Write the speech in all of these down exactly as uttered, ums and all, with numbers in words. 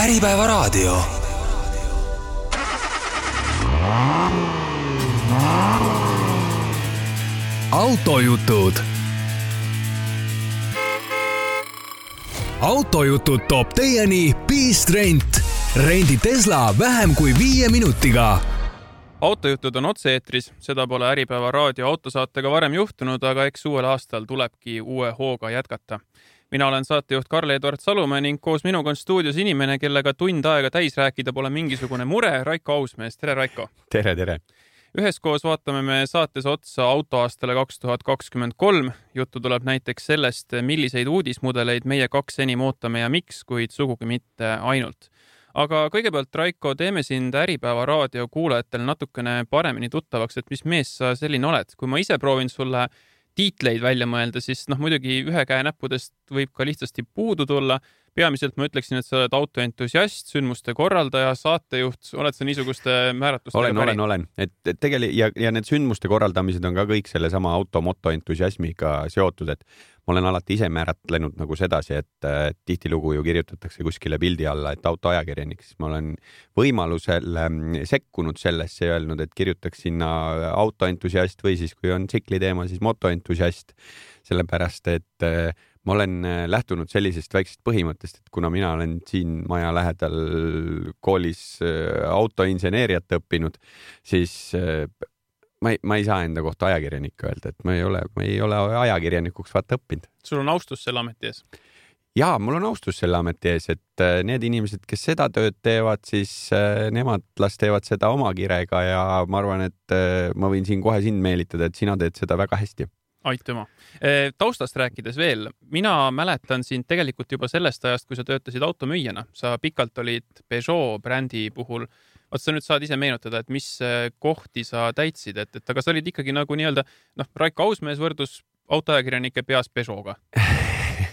Äripäevaraadio. autojutud. autojutud toob teieni Beast Rent. Rendi Tesla vähem kui viie minutiga. Autojutud on otse-eetris, seda pole Äripäeva raadio autosaatega varem juhtunud, aga eks uuel aastal tulebki uue hooga jätkata. Mina olen saatejuht Karl-Edvard Salumäe ning koos minuga on stuudios inimene, kellega tund aega täis rääkida pole mingisugune mure, Raiko Ausmees. Tere, Raiko! Tere, tere! Üheskoos vaatame me saates otsa autoaastale kaks tuhat kakskümmend kolm. Juttu tuleb näiteks sellest, milliseid uudismudeleid meie kaks enim ootame ja miks, kuid sugugi mitte ainult. Aga kõigepealt, Raiko, teeme sind Äripäeva raadio kuulajatele natukene paremini tuttavaks, et mis mees sa selline oled. Kui ma ise proovin sulle tiitleid välja mõelda, siis noh, muidugi ühe käe näppudest võib ka lihtsasti puudu tulla. Peamiselt ma ütleksin, et sa oled autoentusiast, sündmuste korraldaja, saatejuht. Oled sa niisuguste määratustega olen, päri? Olen, olen. Et, et tegelikult, ja, ja need sündmuste korraldamised on ka kõik selle sama automoto entusiasmiga seotud, et ma olen alati ise määratlenud nagu sedasi, et, et tihtilugu ju kirjutatakse kuskile pildi alla, et autoajakirjanik, siis ma olen võimalusel sekkunud sellesse ja öelnud, et kirjutaks sinna autoentusiast või siis kui on tsikli teema, siis motoentusiast, sellepärast, et ma olen lähtunud sellisest väiksest põhimõttest, et kuna mina olen siin maja lähedal koolis autoinseneeriat õppinud, siis ma ei, ma ei saa enda kohta ajakirjanik öelda, et ma ei ole, ma ei ole ajakirjanikuks vaata õppinud. Sul on austus selle ameti ees? Jaa, mul on austus selle ameti ees, et need inimesed, kes seda tööd teevad, siis nemad las teevad seda oma kirega ja ma arvan, et ma võin siin kohe sind meelitada, et sina teed seda väga hästi. Aitüma. Taustast rääkides veel, mina mäletan sind tegelikult juba sellest ajast, kui sa töötasid automüüjana. Sa pikalt olid Peugeot brändi puhul. Vaat sa nüüd saad ise meenutada, et mis kohti sa täitsid, et, et aga sa olid ikkagi nagu nii-öelda, noh, Raiko Ausmees võrdus autoajakirjanike peas Peugeotga.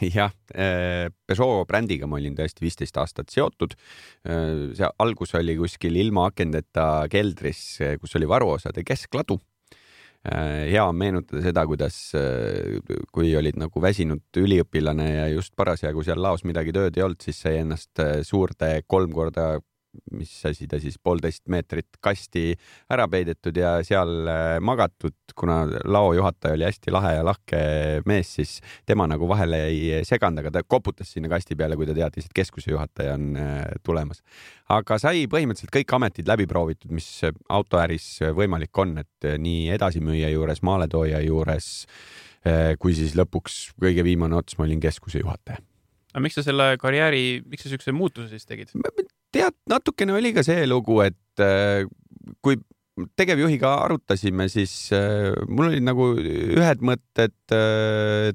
Jah, Peugeot brändiga ma olin tõesti viisteist aastat seotud. See algus oli kuskil ilma akendeta keldris, kus oli varuosade keskladu. Hea on meenutada seda, kuidas kui olid nagu väsinud üliõpilane ja just parasjagu seal laos midagi tööd ei olnud, siis sai ennast suurde kolm korda, mis asi ta siis, poolteist meetrit kasti ära peidetud ja seal magatud, kuna lao juhataja oli hästi lahe ja lahke mees, siis tema nagu vahele ei seganud, aga ta koputas sinna kasti peale, kui ta teadis, et keskuse juhataja on tulemas. Aga sai põhimõtteliselt kõik ametid läbi proovitud, mis autoäris võimalik on, et nii edasimüüja juures, maaletooja juures, kui siis lõpuks kõige viimane ots, ma olin keskuse juhataja. Aga miks sa selle karjääri, miks sa sükse muutuse siis tegid? Tead, natukene oli ka see lugu, et kui tegevjuhiga arutasime, siis mul olid nagu ühed mõtted,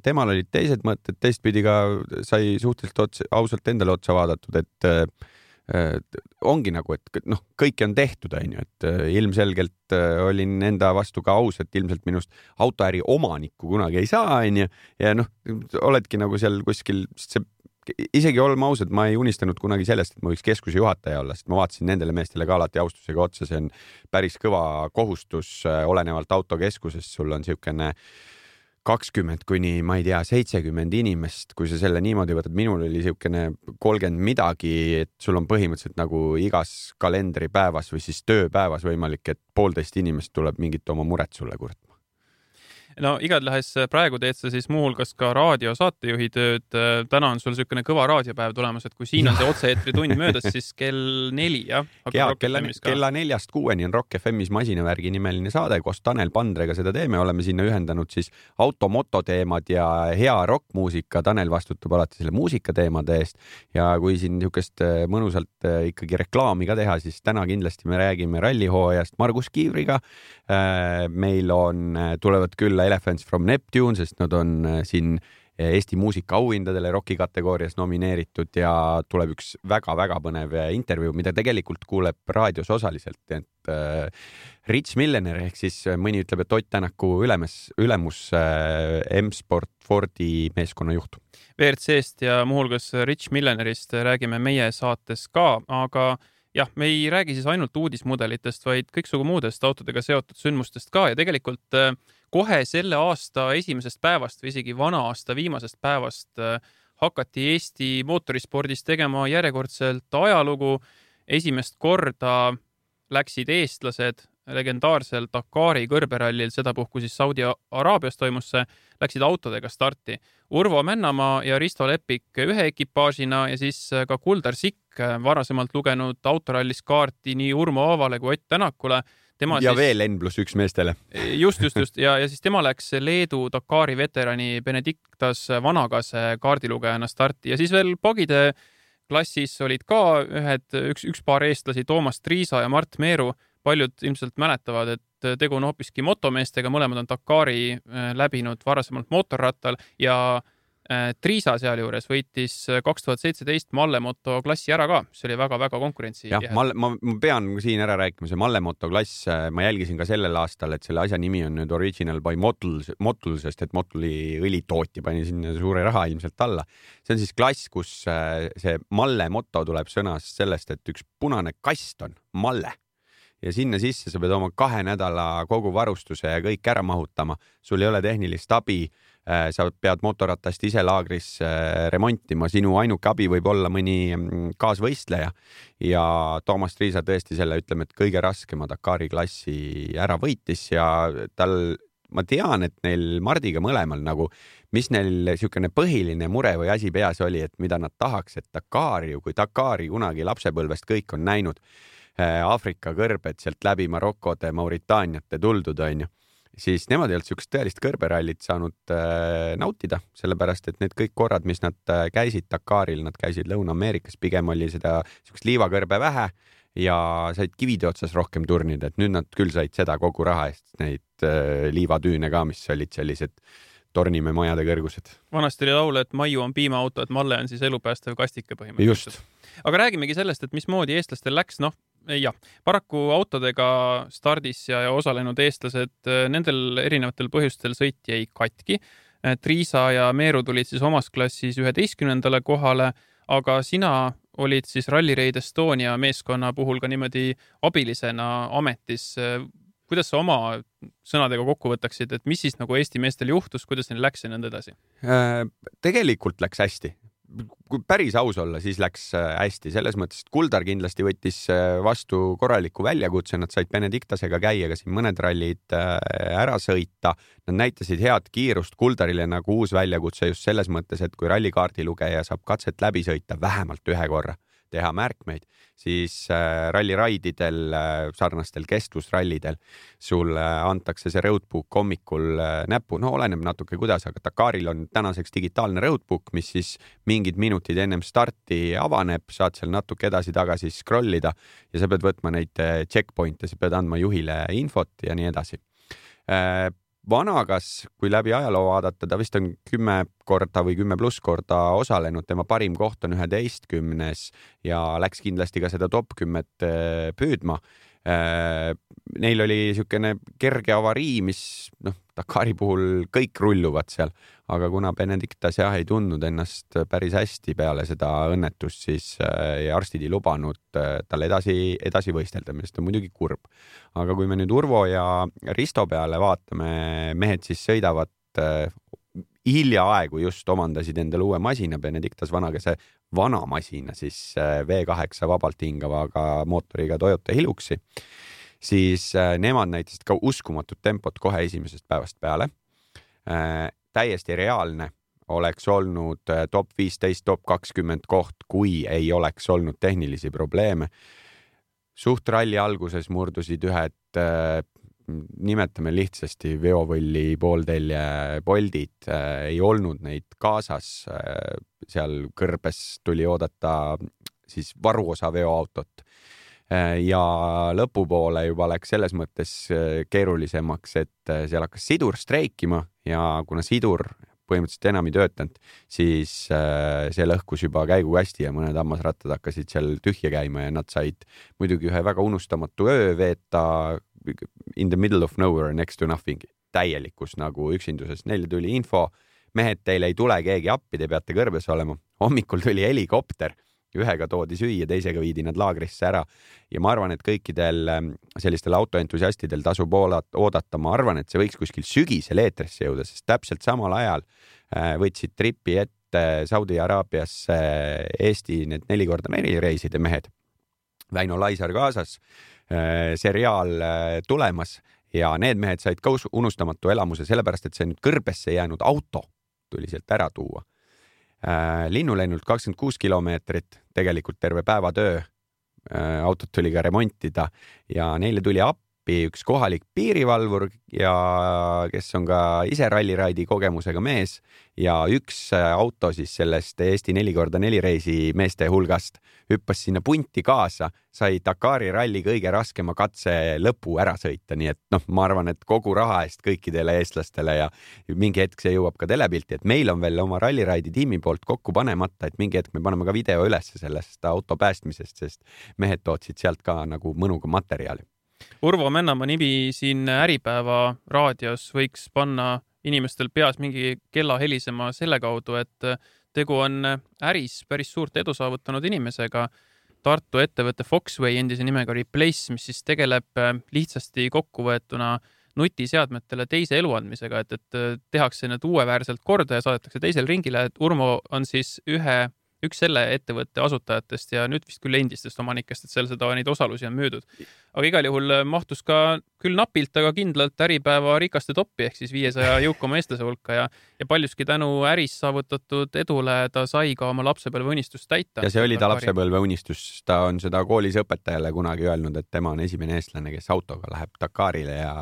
temal olid teised mõtted, teistpidi ka sai suhteliselt otsa, ausalt endale otsa vaadatud, et ongi nagu, et noh, kõike on tehtud, on ju, et ilmselgelt olin enda vastu ka aus, et ilmselt minust autoäri omanikku kunagi ei saa, on ju, ja noh, oledki nagu seal kuskil, see isegi olema ausad, ma ei unistanud kunagi sellest, et ma võiks keskuse juhataja olla, sest ma vaatasin nendele meestele ka alati austusega otsa, see on päris kõva kohustus olenevalt autokeskusest, sul on siukene kakskümmend kuni, ma ei tea, seitsekümmend inimest, kui sa selle niimoodi võtad, minul oli siukene kolmkümmend midagi, et sul on põhimõtteliselt nagu igas kalendripäevas või siis tööpäevas võimalik, et poolteist inimest tuleb mingit oma muret sulle kurtma. No igatahes praegu teed sa siis muuhulgas ka raadio saatejuhi tööd. Täna on sul sükene kõva raadiopäev tulemas, et kui siin on see otse-eetri tund möödas, siis kell neli, jah? Ja, kella, kella neljast kuueni on Rock F M-is Masinavärgi nimeline saade, koos Tanel Pandrega seda teeme. Oleme sinna ühendanud siis automoto teemad ja hea rockmuusika. Tanel vastutab alati selle muusika teemade eest. Ja kui siin niisugust mõnusalt ikkagi reklaami ka teha, siis täna kindlasti me räägime rallihooajast Margus Kiivriga. Meil on, tulevad küll Elephants from Neptune, sest nad on siin Eesti muusika auhindadele Rocki kategoorias nomineeritud ja tuleb üks väga-väga põnev intervjuu, mida tegelikult kuuleb raadios osaliselt, et Rich Millionaire ehk siis mõni ütleb, et Ott Tänaku ülemus, ülemus M-Sport Fordi meeskonna juht. V R C-st ja muuhulgas Rich Millionaire'ist räägime meie saates ka, aga jah, me ei räägi siis ainult uudismudelitest, vaid kõiksugu muudest autodega seotud sündmustest ka ja tegelikult kohe selle aasta esimesest päevast või isegi vana aasta viimasest päevast hakati Eesti mootorispordis tegema järjekordselt ajalugu. Esimest korda läksid eestlased legendaarsel Dakari kõrberallil, sedapuhku siis Saudi Araabias toimus see, läksid autodega starti. Urvo Männamaa ja Risto Lepik ühe ekipaažina ja siis ka Kuldar Sikk, varasemalt lugenud autorallis kaarti nii Urmo Aavale kui Ott Tänakule. Tema ja siis, veel N pluss üks meestele. Just, just, just. Ja, ja siis tema läks Leedu Dakari veterani Benediktas Vanagase kaardilugejana starti ja siis veel pagide klassis olid ka ühed, üks, üks paar eestlasi, Toomas Triisa ja Mart Meeru. Paljud ilmselt mäletavad, et tegu on hoopiski motomeestega, mõlemad on Dakari läbinud varasemalt mootorrattal ja Triisa sealjuures võitis kaks tuhat seitseteist Mallemoto klassi ära ka. See oli väga-väga konkurentsi. Jah, ma, ma, ma pean siin ära rääkima, see Mallemoto klass, ma jälgisin ka sellel aastal, et selle asja nimi on nüüd Original by Motul, Motul, sest et Motuli õlitooti pani sinna suure raha ilmselt alla. See on siis klass, kus see Mallemoto tuleb sõnast sellest, et üks punane kast on Malle. Ja sinna sisse sa pead oma kahe nädala kogu varustuse ja kõik ära mahutama. Sul ei ole tehnilist abi, sa pead motorratast ise laagris remontima. Sinu ainuke abi võib olla mõni kaasvõistleja ja Toomas Triisa tõesti selle, ütleme, et kõige raskema Dakari klassi ära võitis ja tal, ma tean, et neil Mardiga mõlemal nagu, mis neil siukene põhiline mure või asi peas oli, et mida nad tahaks, et Dakari, kui Dakari kunagi lapsepõlvest kõik on näinud, Aafrika kõrbed sealt läbi Marokode, Mauritaaniate tuldud on ju, siis nemad ei olnud siukest tõelist kõrberallit saanud äh, nautida, sellepärast et need kõik korrad, mis nad äh, käisid Dakaril, nad käisid Lõuna-Ameerikas, pigem oli seda siukest liivakõrbe vähe ja said kivide otsas rohkem turnida, et nüüd nad küll said seda kogu raha eest, neid äh, liivatüüne ka, mis olid sellised Tornimäe majade kõrgused. Vanasti oli laul, et Maiu on piimaauto, et Malle on siis elupäästev kastike põhimõtteliselt. Just. Aga räägimegi sellest, et mismoodi eestlastel läks, noh, jah, paraku autodega stardis ja, ja osalenud eestlased, nendel erinevatel põhjustel sõit jäi katki. Triisa ja Meeru tulid siis omas klassis üheteistkümnendale kohale, aga sina olid siis Rally Raid Estonia meeskonna puhul ka niimoodi abilisena ametis. Kuidas sa oma sõnadega kokku võtaksid, et mis siis nagu Eesti meestel juhtus, kuidas neil läks ja nõnda edasi? Tegelikult läks hästi. Kui päris aus olla, siis läks hästi. Selles mõttes, et Kuldar kindlasti võttis vastu korraliku väljakutse, nad said Benediktasega käia ka siin mõned rallid ära sõita. Nad näitasid head kiirust Kuldarile nagu uus väljakutse just selles mõttes, et kui rallikaardi lugeja saab katset läbi sõita vähemalt ühe korra, teha märkmeid, siis ralliraididel, sarnastel kestvusrallidel sulle antakse see roadbook hommikul näppu, no oleneb natuke kuidas, aga Dakaril on tänaseks digitaalne roadbook, mis siis mingid minutid ennem starti avaneb, saad seal natuke edasi-tagasi scrollida ja sa pead võtma neid checkpointe, sa pead andma juhile infot ja nii edasi. Vanagas, kui läbi ajaloo vaadata, ta vist on kümme korda või kümme pluss korda osalenud, tema parim koht on üheteistkümnes ja läks kindlasti ka seda top kümmet püüdma. Neil oli siukene kerge avarii, mis noh, Dakari puhul kõik rulluvad seal, aga kuna Benediktas jah ei tundnud ennast päris hästi peale seda õnnetust, siis ja arstid ei lubanud tal edasi, edasi võistelda, millest on muidugi kurb. Aga kui me nüüd Urvo ja Risto peale vaatame, mehed siis sõidavad hiljaaegu just omandasid endale uue masina, Benediktas Vanagese vana masina, siis V kaheksa vabalt hingavaga mootoriga Toyota Hiluxi, siis nemad näitasid ka uskumatut tempot kohe esimesest päevast peale. Täiesti reaalne oleks olnud top viisteist, top kakskümmend koht, kui ei oleks olnud tehnilisi probleeme. Suht ralli alguses murdusid ühed, nimetame lihtsasti veovõlli pooltelje poldid, ei olnud neid kaasas, seal kõrbes tuli oodata siis varuosa veoautot ja lõpupoole juba läks selles mõttes keerulisemaks, et seal hakkas sidur streikima ja kuna sidur põhimõtteliselt enam ei töötanud, siis see lõhkus juba käigukasti ja mõned hammasrattad hakkasid seal tühja käima ja nad said muidugi ühe väga unustamatu öö veeta in the middle of nowhere next to nothing, täielikus nagu üksinduses. Neile tuli info, mehed, teile ei tule keegi appi, te peate kõrbes olema. Hommikul tuli helikopter, ühega toodi süüa, teisega viidi nad laagrisse ära ja ma arvan, et kõikidel sellistel autoentusiastidel tasub oodata, ma arvan, et see võiks kuskil sügisel eetrisse jõuda, sest täpselt samal ajal võtsid tripi ette Saudi Araabiasse Eesti need neli korda neli reiside mehed. Väino Laisar kaasas, seriaal tulemas ja need mehed said ka unustamatu elamuse sellepärast, et see nüüd kõrbesse jäänud auto tuli sealt ära tuua. Linnulennult kakskümmend kuus kilomeetrit, tegelikult terve päeva töö. Autot tuli ka remontida ja neile tuli appi üks kohalik piirivalvur ja kes on ka ise ralliraidi kogemusega mees ja üks auto siis sellest Eesti neli korda neli reisi meeste hulgast hüppas sinna punti kaasa, sai Dakari ralli kõige raskema katse lõpu ära sõita, nii et noh, ma arvan, et kogu raha eest kõikidele eestlastele ja mingi hetk see jõuab ka telepilti, et meil on veel oma ralliraidi tiimi poolt kokku panemata, et mingi hetk me paneme ka video üles sellest auto päästmisest, sest mehed tootsid sealt ka nagu mõnuga materjali. Urvo Männamaa nimi siin Äripäeva raadios võiks panna inimestel peas mingi kella helisema selle kaudu, et tegu on äris päris suurt edu saavutanud inimesega. Tartu ettevõtte Foxway endise nimega Replace, mis siis tegeleb lihtsasti kokkuvõetuna nutiseadmetele teise elu andmisega, et, et tehakse need uueväärselt korda ja saadetakse teisel ringile. Et Urmo on siis ühe üks selle ettevõtte asutajatest ja nüüd vist küll endistest omanikest, et seal seda neid osalusi on müüdud. Aga igal juhul mahtus ka küll napilt, aga kindlalt Äripäeva rikaste toppi ehk siis viiesaja jõukama eestlase hulka ja, ja paljuski tänu äris saavutatud edule ta sai ka oma lapsepõlve unistust täita. Ja see oli ta lapsepõlve unistus. Ta on seda koolis õpetajale kunagi öelnud, et tema on esimene eestlane, kes autoga läheb Dakarile ja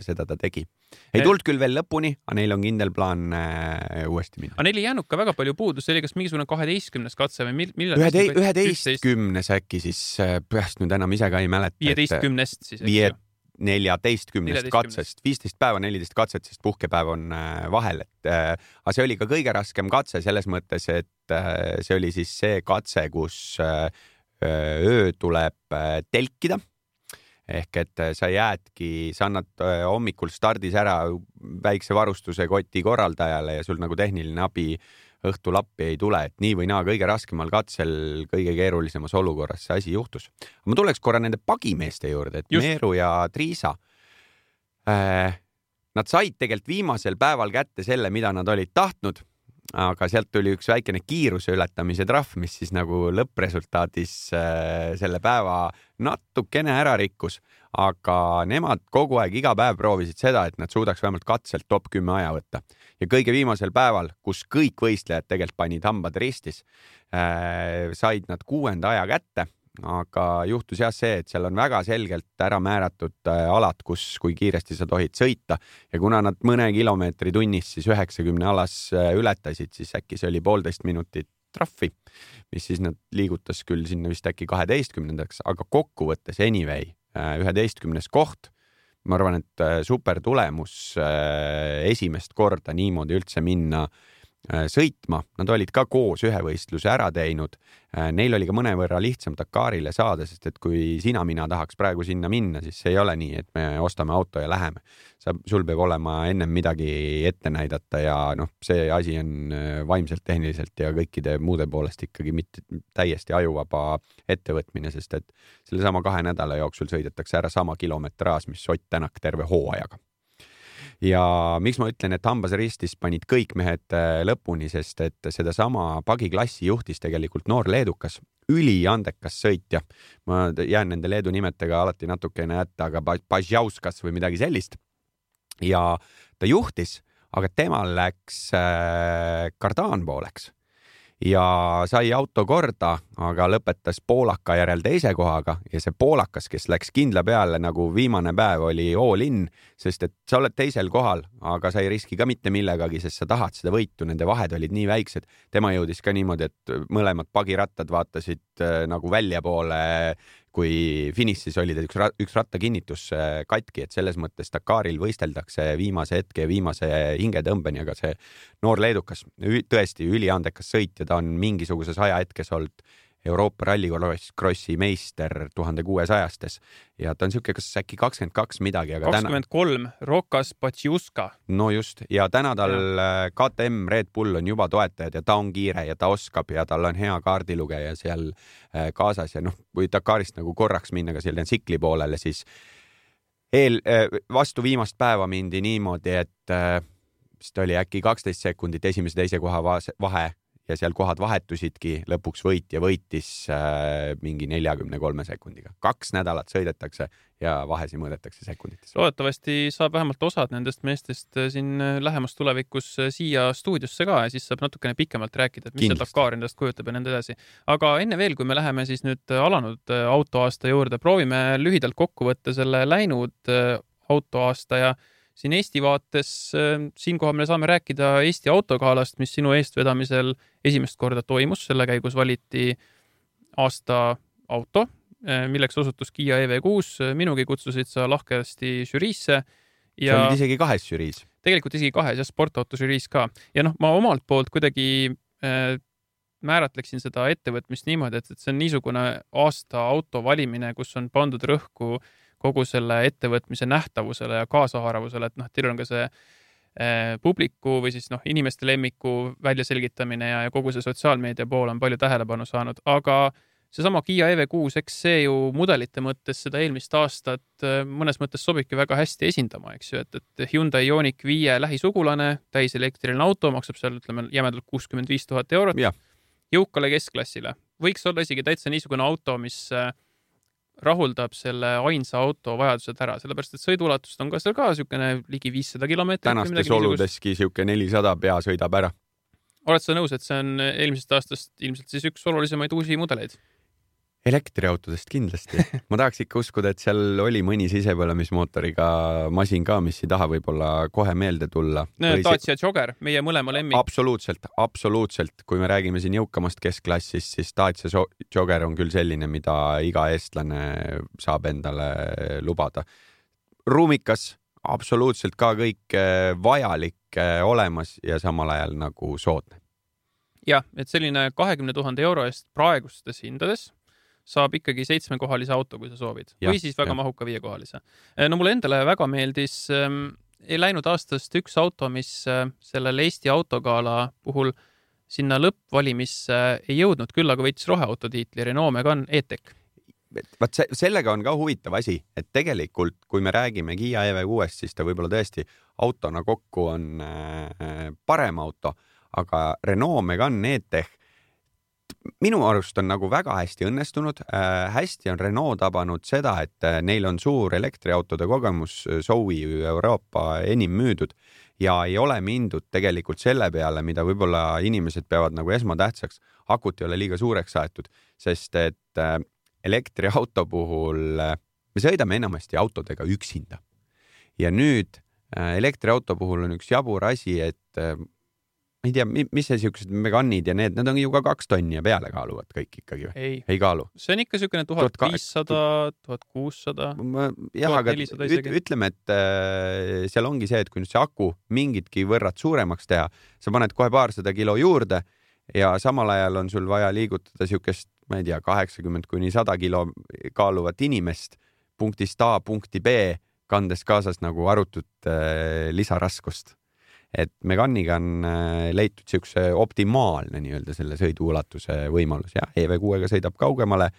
seda ta tegi. Ei tuld küll veel lõpuni, aga neil on kindel plaan äh, uuesti minna. Aga neil ei jäänud ka väga palju puudus, see oli kas mingisugune kaheteistkümnes katse või millal? üheteistkümnes äkki siis, peast nüüd enam ise ka ei mäleta. viieteistkümnest siis, eks ju? neljateistkümnest katsest, viisteist päeva, neliteist katset, sest puhkepäev on vahel. Et, äh, aga see oli ka kõige raskem katse selles mõttes, et äh, see oli siis see katse, kus äh, öö tuleb äh, telkida. Ehk et sa jäädki, sa annad hommikul stardis ära väikse varustuse koti korraldajale ja sul nagu tehniline abi õhtul appi ei tule, et nii või naa kõige raskemal katsel, kõige keerulisemas olukorras see asi juhtus. Ma tuleks korra nende pagimeeste juurde, et Just. Meeru ja Triisa, äh, nad said tegelikult viimasel päeval kätte selle, mida nad olid tahtnud, aga sealt tuli üks väikene kiiruse ületamise trahv, mis siis nagu lõppresultaadis äh, selle päeva natukene ära rikkus, aga nemad kogu aeg iga päev proovisid seda, et nad suudaks vähemalt katselt top kümme aja võtta. Ja kõige viimasel päeval, kus kõik võistlejad tegelikult panid hambad ristis, äh, said nad kuuenda aja kätte, aga juhtus jah see, et seal on väga selgelt ära määratud äh, alad, kus, kui kiiresti sa tohid sõita ja kuna nad mõne kilomeetri tunnis siis üheksakümne alas äh, ületasid, siis äkki see oli poolteist minutit trahvi, mis siis nad liigutas küll sinna vist äkki kaheteistkümnendaks, aga kokkuvõttes anyway, äh, üheteistkümnes koht, ma arvan, et äh, super tulemus äh, esimest korda niimoodi üldse minna sõitma. Nad olid ka koos ühe võistluse ära teinud. Neil oli ka mõnevõrra lihtsam Dakarile saada, sest et kui sina mina tahaks praegu sinna minna, siis see ei ole nii, et me ostame auto ja läheme. Sa, sul peab olema ennem midagi ette näidata ja noh, see asi on vaimselt, tehniliselt ja kõikide muude poolest ikkagi mitte täiesti ajuvaba ettevõtmine, sest et selle sama kahe nädala jooksul sõidetakse ära sama kilometraas, mis Ott Tänak terve hooajaga. Ja miks ma ütlen, et hambas ristis panid kõik mehed lõpuni, sest et seda sama pagiklassi juhtis tegelikult noor leedukas, üliandekas sõitja. Ma jään nende leedu nimetega alati natukene jätta, aga Bažjauskas või midagi sellist. Ja ta juhtis, aga temal läks kardaan pooleks. Ja sai auto korda, aga lõpetas poolaka järel teise kohaga ja see poolakas, kes läks kindla peale nagu viimane päev oli all in, sest et sa oled teisel kohal, aga sa ei riski ka mitte millegagi, sest sa tahad seda võitu, nende vahed olid nii väiksed. Tema jõudis ka niimoodi, et mõlemad pagirattad vaatasid nagu välja poole, kui finišis oli üks, üks rattakinnitus katki, et selles mõttes Dakaril võisteldakse viimase hetke ja viimase hingetõmbeni, aga see noor leedukas, tõesti üliandekas sõitja, ta on mingisuguses ajahetkes olnud Euroopa rallikrossi meister tuhande kuuesajastes ja ta on siuke, kas äkki kakskümmend kaks midagi, aga kakskümmend kolm, täna... Rokas Patsiuska. No just, ja täna tal ja. K T M Red Bull on juba toetajad ja ta on kiire ja ta oskab ja tal on hea kaardilugeja seal kaasas ja noh, kui Dakarist nagu korraks minna ka selle tsikli poolele, siis eel, vastu viimast päeva mindi niimoodi, et vist oli äkki kaksteist sekundit esimese teise koha vahe ja seal kohad vahetusidki, lõpuks võitja võitis äh, mingi neljakümne kolme sekundiga. Kaks nädalat sõidetakse ja vahesi mõõdetakse sekundites. Loodetavasti saab vähemalt osad nendest meestest siin lähemas tulevikus siia stuudiosse ka ja siis saab natukene pikemalt rääkida, et mis see Dakar endast kujutab ja nende edasi. Aga enne veel, kui me läheme siis nüüd alanud autoaasta juurde, proovime lühidalt kokku võtta selle läinud autoaasta ja siin Eesti vaates, siinkohal me saame rääkida Eesti autogalast, mis sinu eestvedamisel esimest korda toimus. Selle käigus valiti aasta auto, milleks osutus Kia E V kuus. Minugi kutsusid sa lahkesti žüriisse. Ja sa olid isegi kahes žüriis. Tegelikult isegi kahes ja sportauto žüriis ka. Ja noh, ma omalt poolt kuidagi äh, määratleksin seda ettevõtmist niimoodi, et, et see on niisugune aasta auto valimine, kus on pandud rõhku kogu selle ettevõtmise nähtavusele ja kaasahaaravusele, et noh, teil on ka see eh, publiku või siis noh, inimeste lemmiku väljaselgitamine ja, ja kogu see sotsiaalmeedia pool on palju tähelepanu saanud, aga seesama Kia E V kuus, eks see ju mudelite mõttes seda eelmist aastat mõnes mõttes sobibki väga hästi esindama, eks ju, et, et Hyundai Ioniq viie lähisugulane, täiselektriline auto, maksab seal, ütleme, jämedalt kuuskümmend viis tuhat eurot, ja. Jõukale keskklassile. Võiks olla isegi täitsa niisugune auto, mis rahuldab selle ainsa auto vajadused ära, sellepärast et sõiduulatust on ka seal ka niisugune ligi viissada kilomeetrit. Tänastes oludeski niisugune nelisada pea sõidab ära. Oled sa nõus, et see on eelmisest aastast ilmselt siis üks olulisemaid uusi mudeleid? Elektriautodest kindlasti. Ma tahaks ikka uskuda, et seal oli mõni sisepõlemismootoriga masin ka, mis ei taha võib-olla kohe meelde tulla. Dacia Jogger, meie mõlema lemmik. Absoluutselt, absoluutselt. Kui me räägime siin jõukamast keskklassist, siis Dacia Jogger on küll selline, mida iga eestlane saab endale lubada. Ruumikas, absoluutselt ka kõik vajalik olemas ja samal ajal nagu soodne. Jah, et selline kahekümne tuhande euro eest praegustes hindades saab ikkagi seitsmekohalise auto, kui sa soovid. Ja, või siis väga ja. mahuka viiekohalise. No mulle endale väga meeldis ähm, ei läinud aastast üks auto, mis äh, sellel Eesti autogala puhul sinna lõppvalimisse ei jõudnud, küll aga võitis roheauto tiitli Renault Megane E-Tech. Vaat se sellega on ka huvitav asi, et tegelikult, kui me räägime Kia E V kuuest, siis ta võib-olla tõesti autona kokku on äh, parem auto, aga Renault Megane E-Tech minu arust on nagu väga hästi õnnestunud. Äh, hästi on Renault tabanud seda, et äh, neil on suur elektriautode kogemus, Zoe Euroopa enim müüdud ja ei ole mindud tegelikult selle peale, mida võib-olla inimesed peavad nagu esmatähtsaks. Akut ei ole liiga suureks aetud, sest et äh, elektriauto puhul äh, me sõidame enamasti autodega üksinda. Ja nüüd äh, elektriauto puhul on üks jabur asi, et äh, ma ei tea, mis see siuksed Meganid ja need, need on ju ka kaks tonni ja peale kaaluvad kõik ikkagi või? Ei, ei kaalu. See on ikka siukene tuhat viissada, tuhat kuussada, jah, aga ütleme, et äh, seal ongi see, et kui nüüd see aku mingitki võrrad suuremaks teha, sa paned kohe paarsada kilo juurde ja samal ajal on sul vaja liigutada siukest, ma ei tea, kaheksakümmend kuni sada kilo kaaluvat inimest punktist A punkti B, kandes kaasas nagu arutut äh, lisaraskust. Et Meganiga on leitud siukse optimaalne nii-öelda selle sõiduulatuse võimalus ja E V kuuega sõidab kaugemale.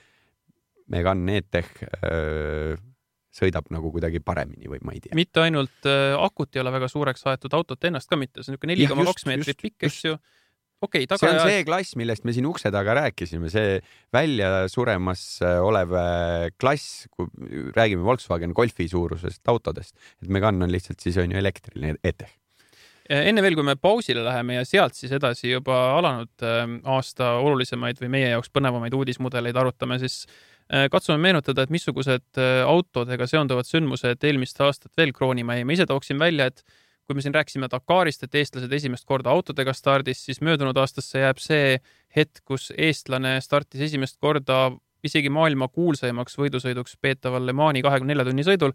Megane E-Tech öö, sõidab nagu kuidagi paremini või ma ei tea. Mitte ainult äh, akut ei ole väga suureks aetud autot ennast ka mitte, see on neli koma kaks meetrit pikk, eks ju. Okay, see on see klass, millest me siin ukse taga rääkisime, see välja suremas olev klass, kui räägime Volkswagen Golfi suurusest autodest, et Megane on lihtsalt siis on ju elektriline E-Tech. Enne veel, kui me pausile läheme ja sealt siis edasi juba alanud aasta olulisemaid või meie jaoks põnevamaid uudismudeleid arutame, siis katsume meenutada, et missugused autodega seonduvad sündmused eelmist aastat veel kroonima jäi. Ma ise tooksin välja, et kui me siin rääkisime Dakarist, et eestlased esimest korda autodega stardis, siis möödunud aastasse jääb see hetk, kus eestlane startis esimest korda isegi maailma kuulsaimaks võidusõiduks peetaval Le Mani kahekümne nelja tunni sõidul.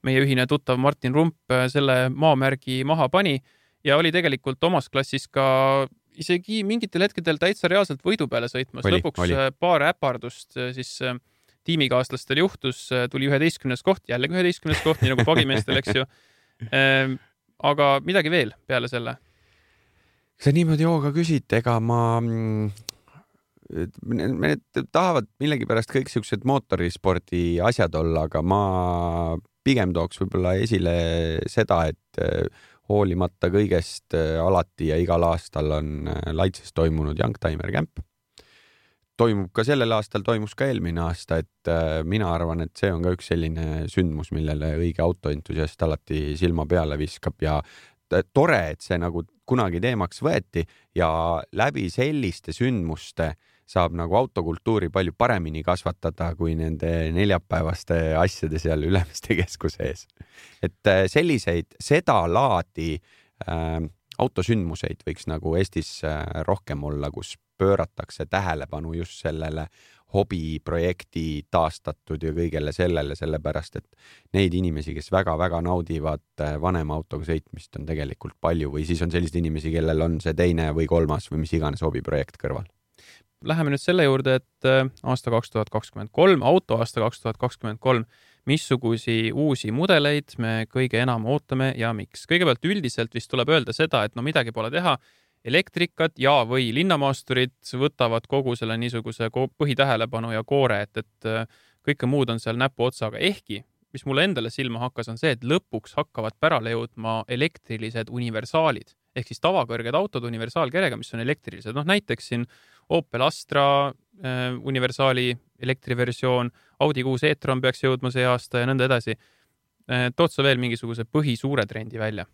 Meie ühine tuttav Martin Rump selle maamärgi maha pani ja oli tegelikult omas klassis ka isegi mingitel hetkedel täitsa reaalselt võidu peale sõitmas. Oli, Lõpuks oli. paar äpardust siis tiimikaaslastel juhtus, tuli üheteistkümnes koht, jällegi üheteistkümnes koht, nii nagu pagimeestel, eks ju. Aga midagi veel peale selle? Sa niimoodi jooga küsid, ega ma... Me tahavad millegi pärast kõik siuksed mootorispordi asjad olla, aga ma pigem tooks võib-olla esile seda, et hoolimata kõigest alati ja igal aastal on Laitses toimunud Youngtimer Camp. Toimub ka sellel aastal, toimus ka eelmine aasta, et mina arvan, et see on ka üks selline sündmus, millele õige autoentusiast alati silma peale viskab ja tore, et see nagu kunagi teemaks võeti ja läbi selliste sündmuste saab nagu autokultuuri palju paremini kasvatada kui nende neljapäevaste asjade seal Ülemiste keskuse ees. Et selliseid, seda laadi äh, autosündmuseid võiks nagu Eestis rohkem olla, kus pööratakse tähelepanu just sellele hobiprojekti taastatud ja kõigele sellele, sellepärast, et neid inimesi, kes väga-väga naudivad vanema autoga sõitmist, on tegelikult palju või siis on sellised inimesi, kellel on see teine või kolmas või mis iganes hobiprojekt kõrval. Läheme nüüd selle juurde, et aasta kaks tuhat kakskümmend kolm, auto aasta kaks tuhat kakskümmend kolm, missugusi uusi mudeleid me kõige enam ootame ja miks? Kõigepealt üldiselt vist tuleb öelda seda, et no midagi pole teha, elektrikad ja või linnamaasturid võtavad kogu selle niisuguse põhitähelepanu ja koore, et, et kõike muud on seal näpu otsaga. Ehkki, mis mulle endale silma hakkas, on see, et lõpuks hakkavad pärale jõudma elektrilised universaalid. Ehk siis tavakõrged autod universaalkerega, mis on elektrilised. No näiteks siin Opel Astra äh, universaali elektriversioon, Audi kuus e-tron peaks jõudma see aasta ja nõnda edasi. Äh, tood sa veel mingisuguse põhisuure trendi välja?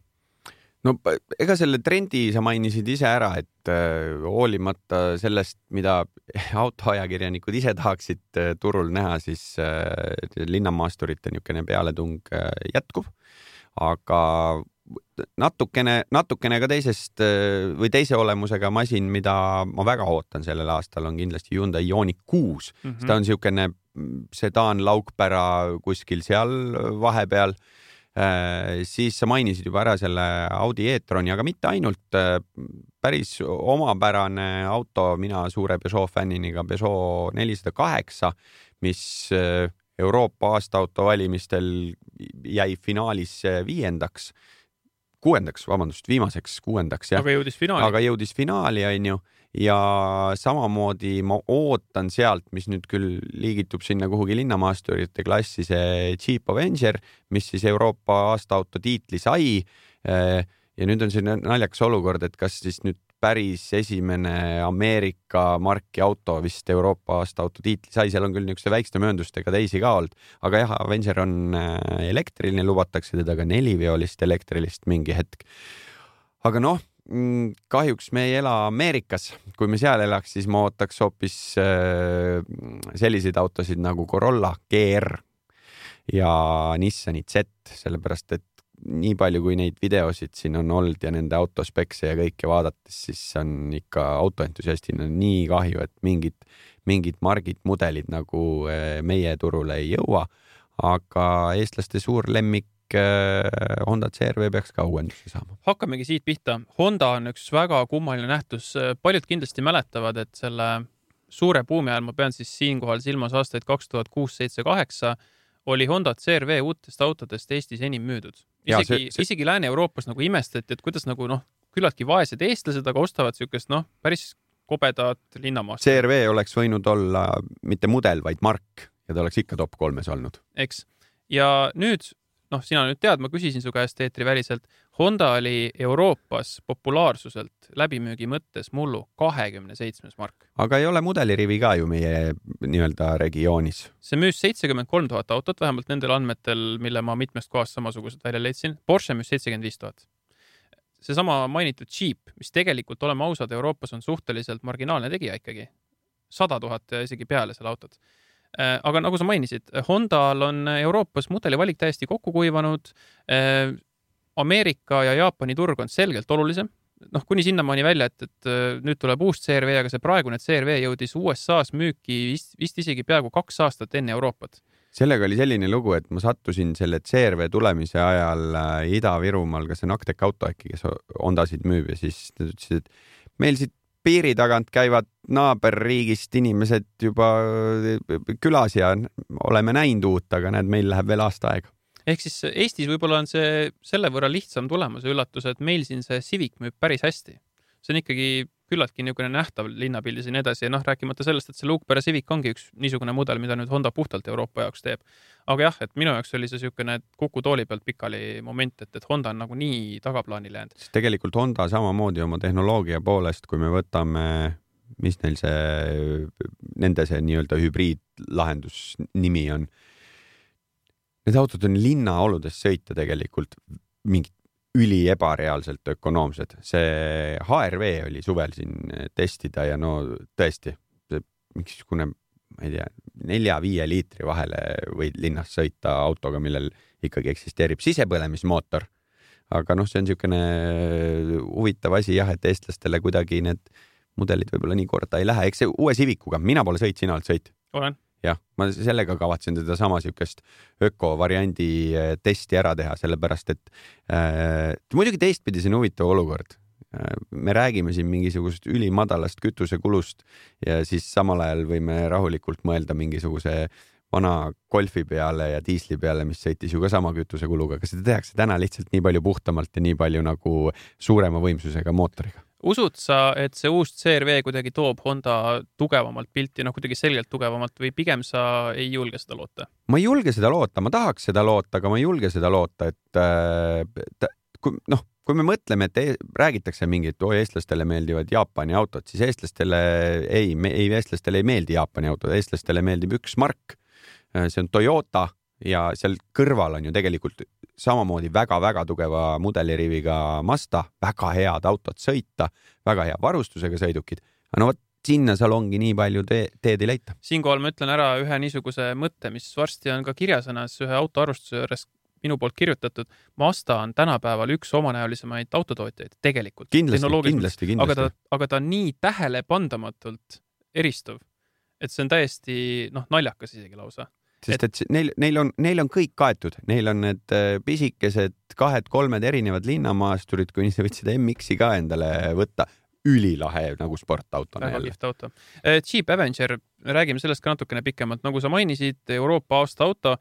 No ega selle trendi sa mainisid ise ära, et äh, hoolimata sellest, mida autoajakirjanikud ise tahaksid äh, turul näha, siis äh, linnamaasturite niisugune pealetung äh, jätkub, aga natukene, natukene ka teisest äh, või teise olemusega masin, mida ma väga ootan sellel aastal, on kindlasti Hyundai Ioniq kuus. Mm-hmm. Ta on niisugune sedaan laukpära kuskil seal vahepeal. Äh, siis sa mainisid juba ära selle Audi e-troni, aga mitte ainult, äh, päris omapärane auto, mina suure Peugeot fänniniga Peugeot nelisada kaheksa, mis äh, Euroopa aastaauto valimistel jäi finaalis viiendaks, kuuendaks, vabandust, viimaseks kuuendaks. Ja, aga jõudis finaali. Aga jõudis finaali, on ju. Ja samamoodi ma ootan sealt, mis nüüd küll liigitub sinna kuhugi linnamaasturite klassi, see Jeep Avenger, mis siis Euroopa aastaauto tiitli sai. Ja nüüd on see naljakas olukord, et kas siis nüüd päris esimene Ameerika marki auto vist Euroopa aastaauto tiitli sai, seal on küll niisuguse väikeste mööndustega teisi ka olnud, aga jah, Avenger on elektriline, lubatakse teda ka neliveolist elektrilist mingi hetk. Aga noh, kahjuks me ei ela Ameerikas. Kui me seal elaks, siis ma ootaks hoopis selliseid autosid nagu Corolla G R ja Nissani Z, sellepärast et nii palju, kui neid videosid siin on olnud ja nende autospekse ja kõike vaadates, siis on ikka autoentusiastina nii kahju, et mingid, mingid margid, mudelid nagu meie turule ei jõua, aga eestlaste suur lemmik Honda C R V peaks ka uuenduse saama. Hakkamegi siit pihta. Honda on üks väga kummaline nähtus. Paljud kindlasti mäletavad, et selle suure buumi ajal, ma pean siis siinkohal silmas aastaid kaks tuhat kuus seitse kaheksa, oli Honda C R V uutest autodest Eestis enim müüdud. Isegi, see, see... isegi Lääne-Euroopas nagu imestati, et kuidas nagu noh, küllaltki vaesed eestlased, aga ostavad niisugust noh, päris kobedat linnamaast. C R V oleks võinud olla mitte mudel, vaid mark ja ta oleks ikka top kolmes olnud. Eks. Ja nüüd noh, sina nüüd tead, ma küsisin su käest eetri väliselt, Honda oli Euroopas populaarsuselt läbimüügi mõttes mullu kahekümne seitsmes mark. Aga ei ole mudelirivi ka ju meie nii-öelda regioonis. See müüs seitsekümmend kolm tuhat autot, vähemalt nendel andmetel, mille ma mitmest kohast samasugused välja leidsin. Porsche müüs seitsekümmend viis tuhat. Seesama mainitud Jeep, mis tegelikult, oleme ausad, Euroopas on suhteliselt marginaalne tegija ikkagi. sada tuhat ja isegi peale selle autot. Aga nagu sa mainisid, Hondal on Euroopas mudelivalik täiesti kokku kuivanud. Ameerika ja Jaapani turg on selgelt olulisem. Noh, kuni sinnamaani välja, et, et nüüd tuleb uus C R V, aga see praegune C R V jõudis U S A-s müüki vist, vist isegi peaaegu kaks aastat enne Euroopat. Sellega oli selline lugu, et ma sattusin selle C R V tulemise ajal Ida-Virumaal, kas see on Aktek auto äkki, kes Hondasid müüb ja siis ütlesid, et meil siit piiri tagant käivad naaberriigist inimesed juba külas ja oleme näinud uut, aga näed, meil läheb veel aasta aega. Ehk siis Eestis võib-olla on see selle võrra lihtsam tulemus ja üllatus, et meil siin see Civic müüb päris hästi. See on ikkagi küllaltki niisugune nähtav linnapildis ja nii edasi ja noh, rääkimata sellest, et see Luukpere Civic ongi üks niisugune mudel, mida nüüd Honda puhtalt Euroopa jaoks teeb. Aga jah, et minu jaoks oli see niisugune kuku tooli pealt pikali moment, et, et Honda on nagu nii tagaplaanile jäänud. Siis tegelikult Honda samamoodi oma tehnoloogia poolest, kui me võtame, mis neil see, nende see nii-öelda hübriidlahendus nimi on. Need autod on linnaoludes sõita tegelikult mingit üli ebareaalselt ökonoomsed. See H R V oli suvel siin testida ja no tõesti, mingisugune, ma ei tea, nelja-viie liitri vahele võid linnas sõita autoga, millel ikkagi eksisteerib sisepõlemismootor. Aga noh, see on niisugune huvitav asi jah, et eestlastele kuidagi need mudelid võib-olla nii korda ei lähe. Eks see uue Civicuga, mina pole sõit, sina oled sõit. Olen. Jah, ma sellega kavatsen teda sama niisugust ökovariandi testi ära teha, sellepärast et äh, muidugi teistpidi see on huvitav olukord. Äh, me räägime siin mingisugust ülimadalast kütusekulust ja siis samal ajal võime rahulikult mõelda mingisuguse vana golfi peale ja diisli peale, mis sõitis ju ka sama kütusekuluga, aga seda tehakse täna lihtsalt nii palju puhtamalt ja nii palju nagu suurema võimsusega mootoriga. Usud sa, et see uus C R V kuidagi toob Honda tugevamalt pilti, noh kuidagi selgelt tugevamalt või pigem sa ei julge seda loota? Ma ei julge seda loota, ma tahaks seda loota, aga ma ei julge seda loota, et äh, kui, noh, kui me mõtleme, et räägitakse mingit, oi, eestlastele meeldivad Jaapani autod, siis eestlastele ei, ei, eestlastele ei meeldi Jaapani autod, eestlastele meeldib üks mark, see on Toyota ja seal kõrval on ju tegelikult samamoodi väga-väga tugeva mudeliriviga Mazda, väga head autod sõita, väga hea varustusega sõidukid. No võt, sinna seal ongi nii palju te teed ei leita. Siinkohal ma ütlen ära ühe niisuguse mõtte, mis varsti on ka kirjasõnas ühe autoarvustuse juures minu poolt kirjutatud. Mazda on tänapäeval üks omanäolisemaid autotootjaid tegelikult. Kindlasti, kindlasti, kindlasti. Aga ta, aga ta on nii tähelepandamatult eristuv, et see on täiesti noh, naljakas isegi lausa. Sest et neil, neil, on, neil on kõik kaetud, neil on need pisikesed kahed-kolmed erinevad linnamaasturid, kui sa võid seda M X-i ka endale võtta, ülilahe nagu sportauto. Väga kihvt auto. Jeep Avenger, räägime sellest ka natukene pikemalt. Nagu sa mainisid, Euroopa aasta auto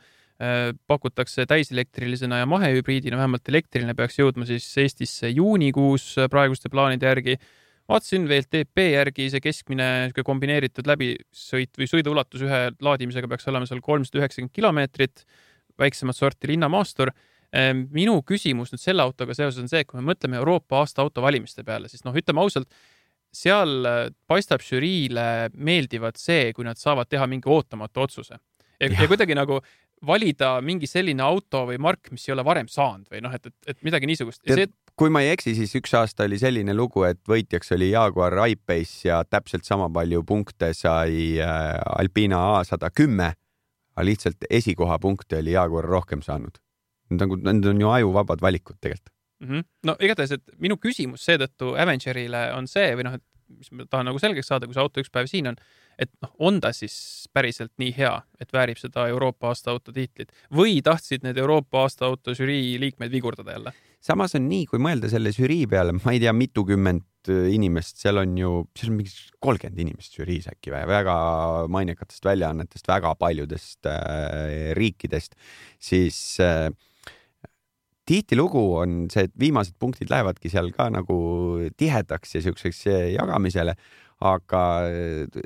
pakutakse täiselektrilisena ja mahehübriidina, vähemalt elektriline peaks jõudma siis Eestisse juunikuus praeguste plaanide järgi. Vaatsin V L T P järgi see keskmine kombineeritud läbisõit või sõiduulatus ühe laadimisega peaks olema seal kolmsada üheksakümmend kilomeetrit, väiksemat sorti linnamaastur. Minu küsimus nüüd selle autoga seoses on see, et kui me mõtleme Euroopa aasta auto valimiste peale, siis noh, ütleme ausalt, seal paistab žüriile meeldivad see, kui nad saavad teha mingi ootamatu otsuse. Ja, ja kuidagi nagu valida mingi selline auto või mark, mis ei ole varem saanud või noh, et, et, et midagi niisugust. Ja see, kui ma ei eksi, siis üks aasta oli selline lugu, et võitjaks oli Jaguar I-Pace ja täpselt sama palju punkte sai Alpina A sada kümme, aga lihtsalt esikoha punkte oli Jaguar rohkem saanud. Need on ju ajuvabad valikud tegelikult. Mm-hmm. No igatahes, et minu küsimus seetõttu Avengerile on see, või noh, et mis ma tahan nagu selgeks saada, kui see auto üks päev siin on, et noh, on ta siis päriselt nii hea, et väärib seda Euroopa aasta auto tiitlit või tahtsid need Euroopa aasta auto žürii liikmeid vigurdada jälle? Samas on nii, kui mõelda selle žürii peale, ma ei tea, mitukümmend inimest, seal on ju, seal on mingi kolmkümmend inimest žüriis äkki või väga mainekatest väljaannetest, väga paljudest äh, riikidest, siis äh, tihtilugu on see, et viimased punktid lähevadki seal ka nagu tihedaks ja siukseks jagamisele, aga et,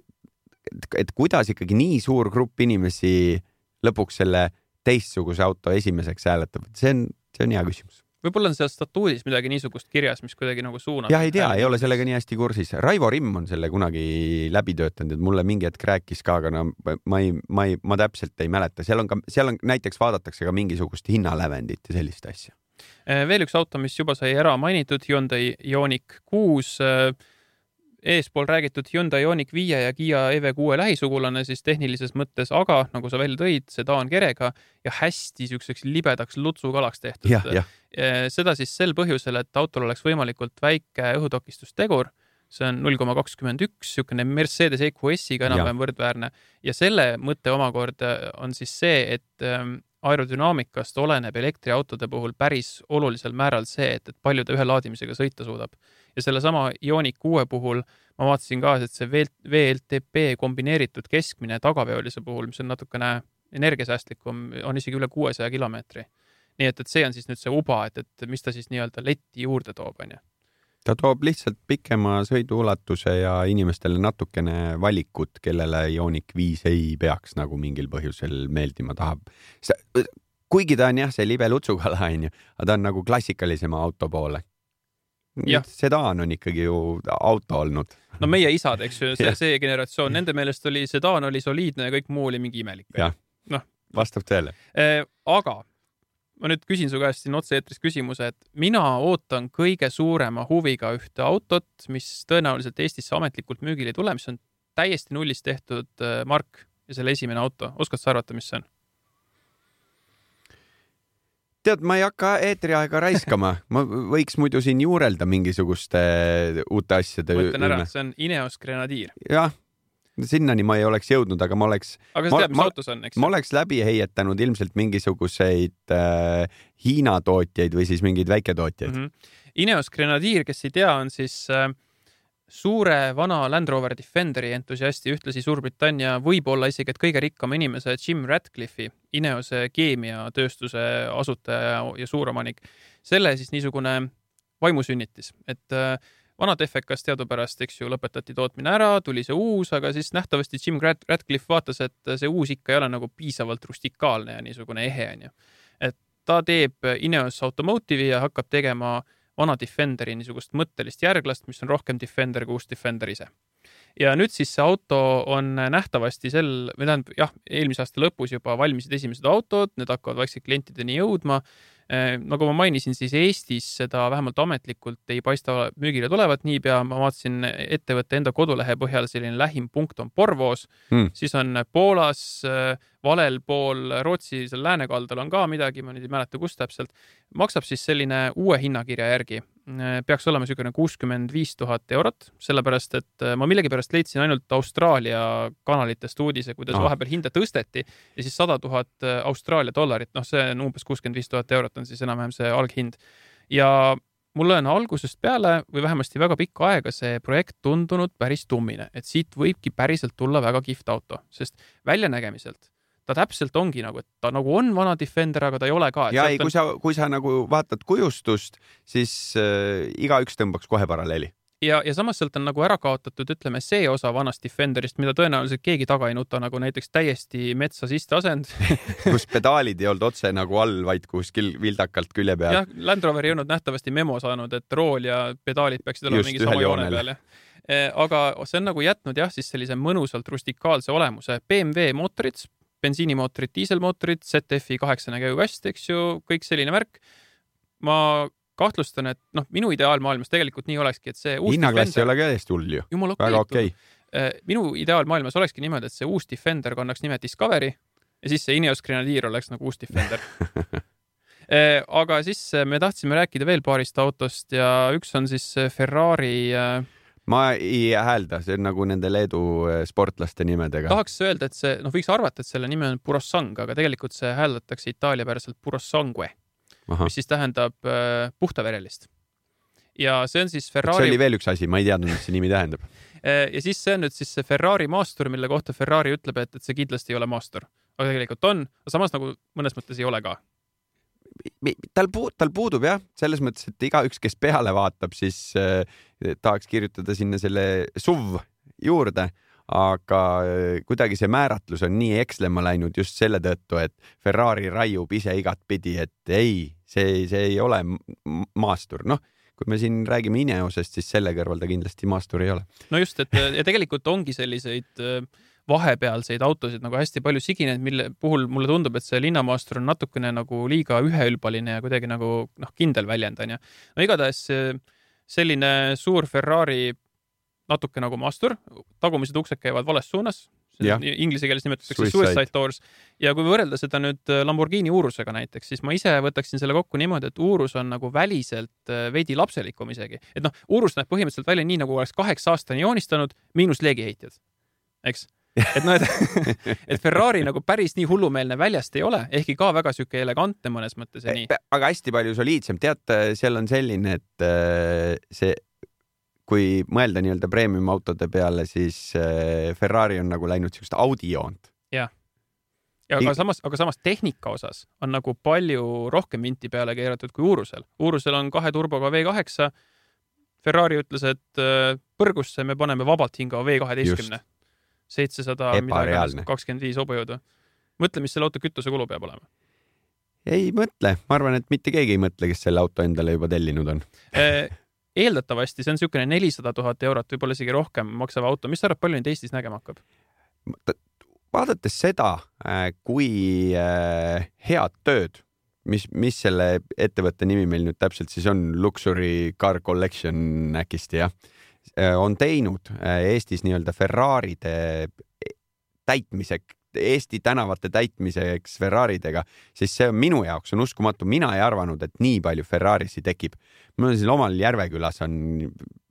et kuidas ikkagi nii suur grupp inimesi lõpuks selle teistsuguse auto esimeseks hääletab, see on, see on hea küsimus. Võib-olla on seal statuudis midagi niisugust kirjas, mis kuidagi nagu suunab. Jah, ei tea, ei ole sellega nii hästi kursis. Raivo Rimm on selle kunagi läbi töötanud, et mulle mingi hetk rääkis ka, aga no, ma, ei, ma, ei, ma täpselt ei mäleta. Seal on, ka, seal on näiteks vaadatakse ka mingisugust hinnalävendit ja sellist asja. Veel üks auto, mis juba sai ära mainitud, Hyundai Ioniq kuus. Eespool räägitud Hyundai Ioniq viis ja Kia E V kuus lähisugulane siis tehnilises mõttes, aga nagu sa välja tõid, sedaan kerega ja hästi siukseks libedaks lutsukalaks tehtud. Ja, ja. Seda siis sel põhjusel, et autol oleks võimalikult väike õhutokistustegur, see on null koma kakskümmend üks, siukene Mercedes E Q S-iga enam-vähem võrdväärne ja selle mõte omakorda on siis see, et aerodünaamikast oleneb elektriautode puhul päris olulisel määral see, et, et palju ta ühe laadimisega sõita suudab. Ja selle sama Ioniq kuus puhul ma vaatasin ka, et see V L T P kombineeritud keskmine tagaveolise puhul, mis on natukene energiasäästlikum, on isegi üle kuuesaja kilomeetri. Nii et, et see on siis nüüd see uba, et, et mis ta siis nii-öelda letti juurde toob. On ju. ta toob lihtsalt pikema sõiduulatuse ja inimestele natukene valikut, kellele Ioniq viis ei peaks nagu mingil põhjusel meeldima tahab. Kuigi ta on jah, see libe lutsukala, aga ta on nagu klassikalisema auto poole. Sedaan on ikkagi ju auto olnud. No meie isad, eks ju, see, see generatsioon, nende meelest oli sedaan oli soliidne ja kõik muu oli mingi imelik. Jah, no. Vastab tõele. Aga ma nüüd küsin su käest siin otse-eetris küsimuse, et mina ootan kõige suurema huviga ühte autot, mis tõenäoliselt Eestisse ametlikult müügile ei tule, mis on täiesti nullist tehtud mark ja selle esimene auto. Oskad sa arvata, mis see on? Tead, ma ei hakka eetriaega raiskama. Ma võiks muidu siin juurelda mingisuguste uute asjade. Ma ütlen ära, see on Ineos Grenadier. Jah. Sinnani ma ei oleks jõudnud, aga ma oleks aga sa tead, mis autos on, eks? Ma oleks läbi heietanud ilmselt mingisuguseid äh, Hiina tootjaid või siis mingeid väiketootjaid. Mm-hmm. Ineos Grenadier, kes ei tea, on siis äh, suure vana Land Rover Defenderi entusiasti, ühtlasi Suurbritannia võib-olla isegi, et kõige rikkama inimese Jim Ratcliffe'i, Ineose keemiatööstuse asutaja ja suuromanik. Selle siis niisugune vaimusünnitis, et äh, vanad F K-s teadupärast, eks ju, lõpetati tootmine ära, tuli see uus, aga siis nähtavasti Jim Ratcliffe vaatas, et see uus ikka ei ole nagu piisavalt rustikaalne ja niisugune ehe on ju. Et ta teeb Ineos Automotive'i ja hakkab tegema vana Defenderi niisugust mõttelist järglast, mis on rohkem Defender kui uus Defender ise. Ja nüüd siis see auto on nähtavasti sel, või tähendab, jah, eelmise aasta lõpus juba valmisid esimesed autod, need hakkavad vaikselt klientideni jõudma. Nagu ma mainisin, siis Eestis seda vähemalt ametlikult ei paista müügile tulevat niipea. Ma vaatasin ettevõtte enda kodulehe põhjal, selline lähim punkt on Porvoos, hmm. siis on Poolas, valel pool Rootsi seal läänekaldal on ka midagi, ma nüüd ei mäleta, kus täpselt. Maksab siis selline uue hinnakirja järgi. Peaks olema selline kuuskümmend viis tuhat eurot, sellepärast, et ma millegipärast leidsin ainult Austraalia kanalitest uudise, kuidas oh. vahepeal hinda tõsteti ja siis sada tuhat Austraalia dollarit, noh see on umbes kuuskümmend viis tuhat eurot on siis enam-vähem see alghind. Ja mulle on algusest peale või vähemasti väga pikka aega see projekt tundunud päris tummine, et siit võibki päriselt tulla väga kihvt auto, sest väljanägemiselt ta täpselt ongi nagu, et ta nagu on vana Defender, aga ta ei ole ka. Ja ei, on... kui sa, kui sa nagu vaatad kujustust, siis äh, igaüks tõmbaks kohe paralleeli. Ja, ja samas sealt on nagu ära kaotatud, ütleme, see osa vanast Defenderist, mida tõenäoliselt keegi taga ei nuta, nagu näiteks täiesti metsa siste asend. kus pedaalid ei olnud otse nagu all, vaid kuskil vildakalt külje peal. Jah, Land Rover ei olnud nähtavasti memo saanud, et rool ja pedaalid peaksid olema mingi sama joone peal. Aga see on nagu jätnud jah, siis sellise mõnusalt rustikaalse olemuse. B M W mootorid, bensiinimootorid, diiselmootorid, Z F-i kaheksane käigukast, eks ju, kõik selline värk. Ma kahtlustan, et noh, minu ideaalmaailmas tegelikult nii olekski, et see uus Hinnaklass ei ole ka hästi hull ju. Jumal väga okei. Okay. Minu ideaalmaailmas olekski niimoodi, et see uus Defender kannaks nime Discovery ja siis see Ineos Grenadier oleks nagu uus Defender. Aga siis me tahtsime rääkida veel paarist autost ja üks on siis Ferrari... Ma ei häälda, see on nagu nende Leedu sportlaste nimedega. Tahaks öelda, et see, noh võiks arvata, et selle nime on Purossang, aga tegelikult see hääldatakse Itaalia päraselt Purossangue, Aha. mis siis tähendab äh, puhtaverelist. Ja see on siis Ferrari... See oli veel üks asi, ma ei teadnud, mis see nimi tähendab. Ja siis see on nüüd siis see Ferrari maastur, mille kohta Ferrari ütleb, et, et see kindlasti ei ole maastur. Aga tegelikult on, aga samas nagu mõnes mõttes ei ole ka. Tal, puud, tal puudub jah, selles mõttes, et igaüks, kes peale vaatab, siis äh, tahaks kirjutada sinna selle S U V juurde, aga äh, kuidagi see määratlus on nii ekslema läinud just selle tõttu, et Ferrari raiub ise igat pidi, et ei, see, see ei ole maastur. Noh, kui me siin räägime Ineosest, siis selle kõrval ta kindlasti maastur ei ole. No just, et ja tegelikult ongi selliseid äh... vahepealseid autosid nagu hästi palju sigineid, mille puhul mulle tundub, et see linnamaastur on natukene nagu liiga üheülbaline ja kuidagi nagu noh, kindel väljendanja. No igatahes selline suur Ferrari natuke nagu maastur, tagumised uksed käivad vales suunas, inglise keeles nimetatakse Suicide, suicide Doors. Ja kui võrrelda seda nüüd Lamborghini Urusega näiteks, siis ma ise võtaksin selle kokku niimoodi, et Urus on nagu väliselt veidi lapselikum isegi. Et noh, Urus näeb põhimõtteliselt välja nii, nagu oleks kaheksa aastani joonistanud, miinus leegiheitjad. Eks? et no, et, et Ferrari nagu päris nii hullumeelne väljast ei ole, ehkki ka väga süke elegantne mõnes mõttes ja nii. Aga hästi palju soliidsem. Tead, seal on selline, et see, kui mõelda nii-öelda premium autode peale, siis Ferrari on nagu läinud sellist Audi joont. Jah. Ja aga samas, aga samas tehnika osas on nagu palju rohkem minti peale keeratud kui Urusel. Urusel on kahe turboga V kaheksa, Ferrari ütles, et põrgusse me paneme vabalt hingava V kaheteistkümne. seitsesada kakskümmend viis hobujõudu. Mõtle, mis selle auto kütuse kulu peab olema. Ei mõtle. Ma arvan, et mitte keegi ei mõtle, kes selle auto endale juba tellinud on. Eeldatavasti see on niisugune nelisada tuhat eurot, võib-olla isegi rohkem maksav auto. Mis sa arvad, palju nüüd Eestis nägema hakkab? Vaadates seda, kui head tööd, mis, mis selle ettevõtte nimi meil nüüd täpselt siis on, Luxury Car Collection äkisti, jah, on teinud Eestis nii-öelda Ferraride täitmiseks, Eesti tänavate täitmiseks Ferraridega, siis see on minu jaoks on uskumatu. Mina ei arvanud, et nii palju Ferrarisi tekib. Mul on siin omal Järvekülas on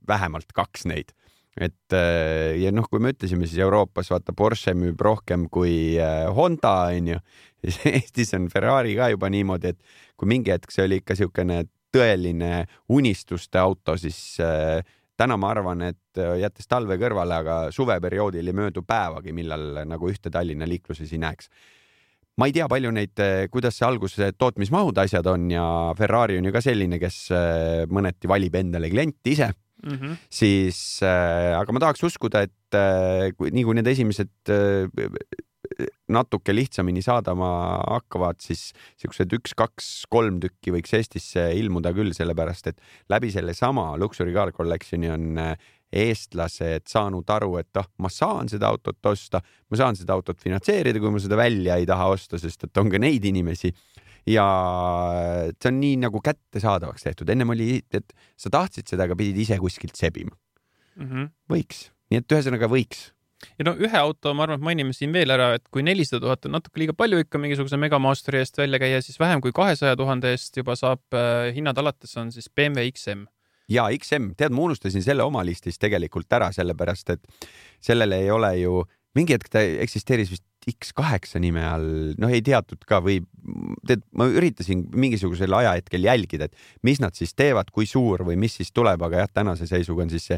vähemalt kaks neid. Et ja noh, kui me ütlesime, siis Euroopas vaata Porsche müüb rohkem kui Honda, on ju. Eestis on Ferrari ka juba niimoodi, et kui mingi hetk see oli ikka siukene tõeline unistuste auto, siis täna ma arvan, et jättes talve kõrvale, aga suveperioodil ei möödu päevagi, millal nagu ühte Tallinna liikluses ei näeks. Ma ei tea palju neid, kuidas see alguse tootmismahud asjad on ja Ferrari on ju ka selline, kes mõneti valib endale klienti ise. Mm-hmm. Siis, aga ma tahaks uskuda, et nii kui need esimesed natuke lihtsamini saadama hakkavad, siis siuksed üks, kaks, kolm tükki võiks Eestisse ilmuda küll, sellepärast et läbi selle sama Luxury Car Collectioni on eestlased saanud aru, et ah, ma saan seda autot osta, ma saan seda autot finantseerida, kui ma seda välja ei taha osta, sest et on ka neid inimesi. Ja see on nii nagu kättesaadavaks tehtud. Ennem oli, et sa tahtsid seda, aga pidid ise kuskilt sebima. Mm-hmm. Võiks. Nii et ühesõnaga võiks. Ja no ühe auto, ma arvan, et mainime siin veel ära, et kui nelisada tuhat on natuke liiga palju ikka mingisuguse Megamasteri eest välja käia, siis vähem kui kahesaja tuhande eest juba saab äh, hinnad alates on siis B M W X M. Ja X M, tead, ma unustasin selle oma listis tegelikult ära, sellepärast, et sellele ei ole ju, mingi hetk ta eksisteeris vist X kaheksa nime all, noh ei teatud ka või tead, ma üritasin mingisugusel ajahetkel jälgida, et mis nad siis teevad, kui suur või mis siis tuleb, aga jah, tänase seisuga on siis see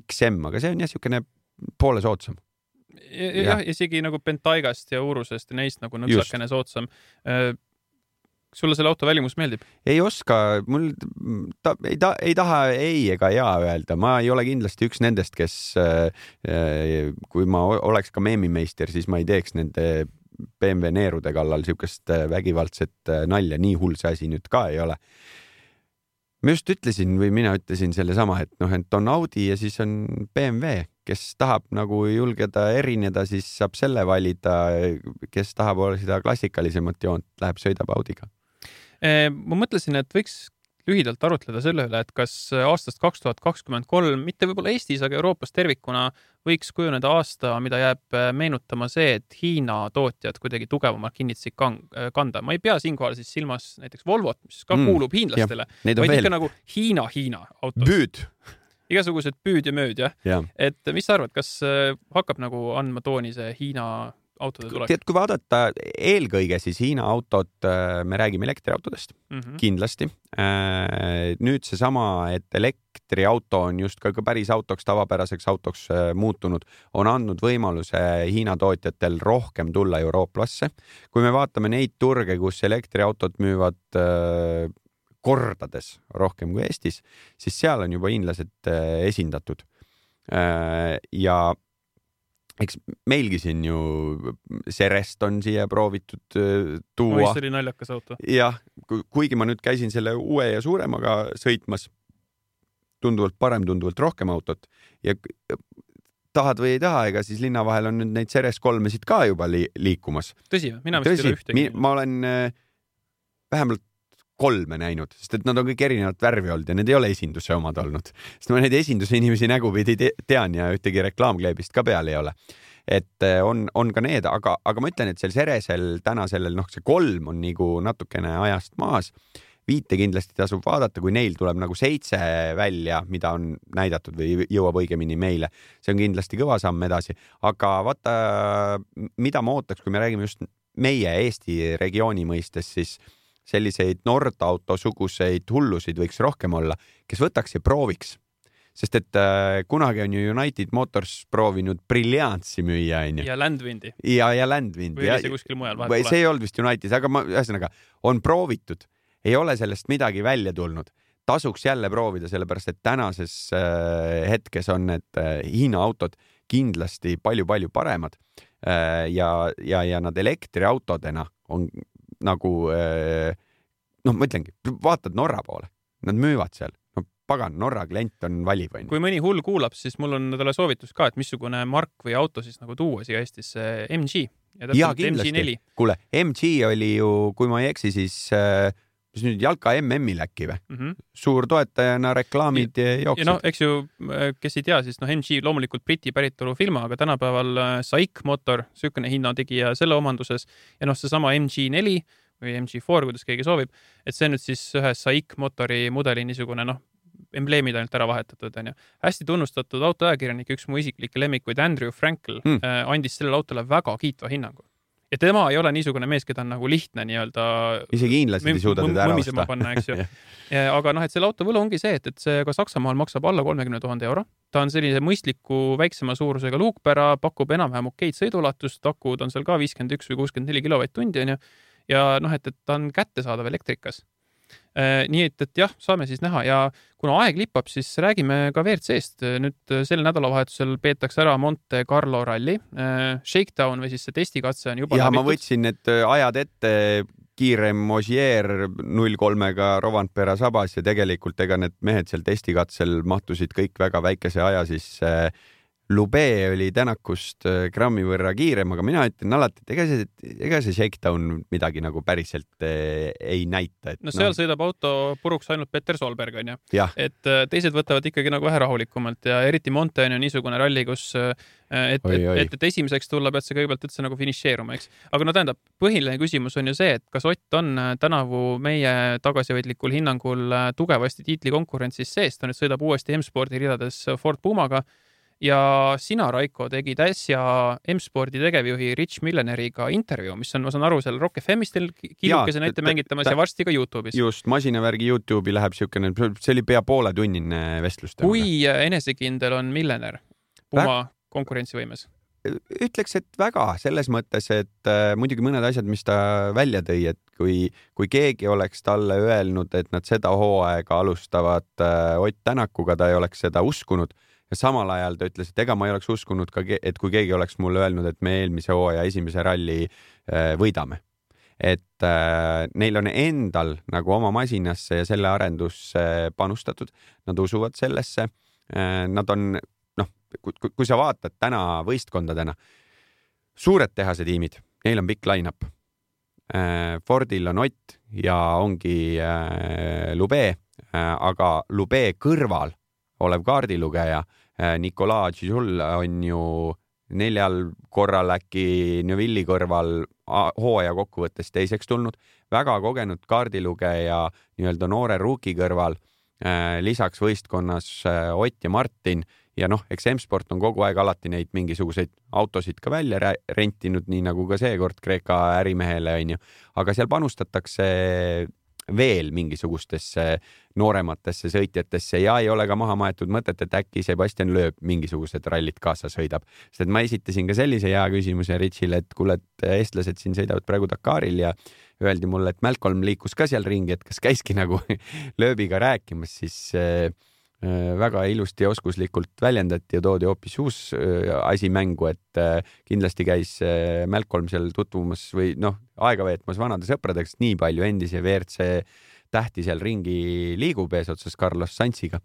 X M, aga see on jah siukene poole sootsam. Jah, isegi nagu Bentaigast ja Urusest ja neist nagu nõksakene sootsam. Sulle selle auto välimus meeldib? Ei oska, mul ta, ei, ta, ei taha ei ega jaa öelda. Ma ei ole kindlasti üks nendest, kes kui ma oleks ka meemimeister, siis ma ei teeks nende B M W neerude kallal siukest vägivaldset nalja. Nii hull see asi nüüd ka ei ole. Ma just ütlesin või mina ütlesin selle sama, et noh, et on Audi ja siis on B M W, kes tahab nagu julgeda erineda, siis saab selle valida, kes tahab olla seda klassikalisemat joont, läheb sõidab Audiga. Ma mõtlesin, et võiks lühidalt arutleda selle üle, et kas aastast kaks tuhat kakskümmend kolm, mitte võib-olla Eestis, aga Euroopas tervikuna võiks kujuneda aasta, mida jääb meenutama see, et Hiina tootjad kuidagi tugevamalt kinnitsid kanda. Ma ei pea siinkohal siis silmas näiteks Volvot, mis ka kuulub mm, hiinlastele, vaid ikka veel. Nagu Hiina-Hiina autos. Büüd. Igasugused püüd ja mööd, jah. Ja. Et mis sa arvad, kas hakkab nagu andma tooni see Hiina autode tulek? Tead, kui vaadata eelkõige, siis Hiina autot, me räägime elektriautodest, mm-hmm. kindlasti. Nüüd see sama, et elektriauto on just ka päris autoks, tavapäraseks autoks muutunud, on andnud võimaluse Hiina tootjatel rohkem tulla eurooplasse. Kui me vaatame neid turge, kus elektriautod müüvad kordades rohkem kui Eestis, siis seal on juba hiinlased esindatud. Ja eks meilgi siin ju Serest on siia proovitud tuua. Mõist oli naljakas auto. Jah, kuigi ma nüüd käisin selle uue ja suuremaga sõitmas, tunduvalt parem, tunduvalt rohkem autot ja tahad või ei taha, ega siis linna vahel on nüüd neid Seres kolmesid ka juba li liikumas. Tõsi, mina vist ei ole ühtegi. Ma olen vähemalt kolme näinud, sest et nad on kõik erinevat värvi olnud ja need ei ole esinduse omad olnud. Sest ma neid esinduse inimesi nägupidi tean ja ühtegi reklaamkleebist ka peal ei ole. Et on, on ka need, aga, aga ma ütlen, et sel Seresel täna sellel, noh, see kolm on nagu natukene ajast maas. Viite kindlasti tasub vaadata, kui neil tuleb nagu seitse välja, mida on näidatud või jõuab õigemini meile. See on kindlasti kõva samm edasi, aga vaata, mida ma ootaks, kui me räägime just meie Eesti regiooni mõistes, siis selliseid Nordauto suguseid hullusid võiks rohkem olla, kes võtaks ja prooviks. Sest et äh, kunagi on ju United Motors proovinud Brilliantsi müüa. Ja Landwindi. Ja, ja Landwindi. Või oli see kuskil mujal vahel? See ei olnud vist United, aga ma, ühesõnaga, on proovitud. Ei ole sellest midagi välja tulnud. tasuks jälle proovida, sellepärast et tänases hetkes on need Hiina autod kindlasti palju-palju paremad ja, ja, ja nad elektriautodena on nagu, noh, ma ütlengi, vaatad Norra poole, nad müüvad seal. No pagan, Norra klient on valiv. Kui mõni hull kuulab, siis mul on talle soovitus ka, et missugune mark või auto siis nagu tuua siia Eestis M G. Ja, ja kindlasti. Kuule, M G oli ju, kui ma ei eksi, siis mis nüüd Jalka M M-il äkki või? Mm -hmm. Suur toetajana reklaamid ja, jooksid. Ja no, eks ju, kes ei tea, siis no M G loomulikult Briti päritolu firma, aga tänapäeval Saik motor, sükene hinnategija selle omanduses ja noh, see sama M G neli või M G four, kuidas keegi soovib, et see nüüd siis ühe Saik motori mudeli niisugune, noh, embleemid ainult ära vahetatud, on ju. Hästi tunnustatud autoajakirjanik, üks mu isiklikke lemmikuid, Andrew Frankel, mm. andis sellele autole väga kiitva hinnangu. Ja tema ei ole niisugune mees, keda on nagu lihtne nii-öelda isegi hiinlased ei suuda teda ära osta. Panna, eks ju. Aga noh, et selle auto võlu ongi see, et, et see ka Saksamaal maksab alla kolmekümne tuhande euro. Ta on sellise mõistliku väiksema suurusega luukpära, pakub enam-vähem okeid sõidulatust, akud on seal ka viiskümmend üks või kuuskümmend neli kilovatt-tundi, on ju. Ja noh, et, et ta on kättesaadav elektrikas. Nii et, et jah, saame siis näha ja kuna aeg lipab, siis räägime ka V R C-st. Nüüd sel nädalavahetusel peetakse ära Monte Carlo ralli. Shakedown või siis see testikatse on juba ja läbitud. Ma võtsin need ajad ette kiirem Ogier null kolmega Rovanpera sabas ja tegelikult ega need mehed seal testikatsel mahtusid kõik väga väikese aja, siis Lube oli Tänakust grammi võrra kiirem, aga mina ütlen alati, et ega see, ega see Shakedown midagi nagu päriselt ei näita. Et no seal no. sõidab auto puruks ainult Peter Solberg, on ju. Et teised võtavad ikkagi nagu vähe rahulikumalt ja eriti Monte on ju niisugune ralli, kus et, oi, oi. et, et esimeseks tulla pead see kõigepealt üldse nagu finišeeruma, eks. Aga no tähendab, põhiline küsimus on ju see, et kas Ott on tänavu meie tagasihoidlikul hinnangul tugevasti tiitlikonkurentsis sees, ta nüüd sõidab uuesti M-spordi ridades Ford Pumaga. Ja sina, Raiko, tegid äsja M-spordi tegevjuhi Rich Milleneriga intervjuu, mis on, ma saan aru, seal Rock F M-ist kilukese näite mängitamas ja varsti ka YouTube'is. Just, masinavärgi YouTube'i läheb siukene, see oli pea poole tunnine vestlus. Kui enesekindel on Millener Puma konkurentsivõimes? Ütleks, et väga selles mõttes, et äh, muidugi mõned asjad, mis ta välja tõi, et kui, kui keegi oleks talle öelnud, et nad seda hooaega alustavad äh, Ott Tänakuga, ta ei oleks seda uskunud. Ja samal ajal ta ütles, et ega ma ei oleks uskunud ka, et kui keegi oleks mulle öelnud, et me eelmise hooaja esimese ralli võidame. Et äh, neil on endal nagu oma masinasse ja selle arendusse panustatud. Nad usuvad sellesse. Äh, nad on, noh, kui, kui sa vaatad täna võistkondadena, suured tehase tiimid, neil on pikk line-up. Äh, Fordil on Ott ja ongi äh, Lube, äh, aga Lube kõrval olev kaardilugeja Nicolas Gisul on ju neljal korral äkki Neuvilli kõrval hooaja kokkuvõttes teiseks tulnud. Väga kogenud kaardilugeja nii-öelda noore ruuki kõrval, lisaks võistkonnas Ott ja Martin ja noh, eks M-sport on kogu aeg alati neid mingisuguseid autosid ka välja rentinud, nii nagu ka seekord Kreeka ärimehele on ju. Aga seal panustatakse veel mingisugustesse noorematesse sõitjatesse ja ei ole ka maha maetud mõtet, et äkki Sebastian Loeb mingisugused rallit kaasa sõidab. Sest et ma esitasin ka sellise hea küsimuse Richile, et kuule, et eestlased siin sõidavad praegu Dakaril ja öeldi mulle, et Malcolm liikus ka seal ringi, et kas käiski nagu Loebiga rääkimas, siis äh, väga ilusti ja oskuslikult väljendati ja toodi hoopis uus äh, asi mängu, et äh, kindlasti käis äh, Malcolm seal tutvumas või noh, aega veetmas vanade sõpradeks, nii palju endise V R C tähti seal ringi liigub eesotsas Carlos Sainziga,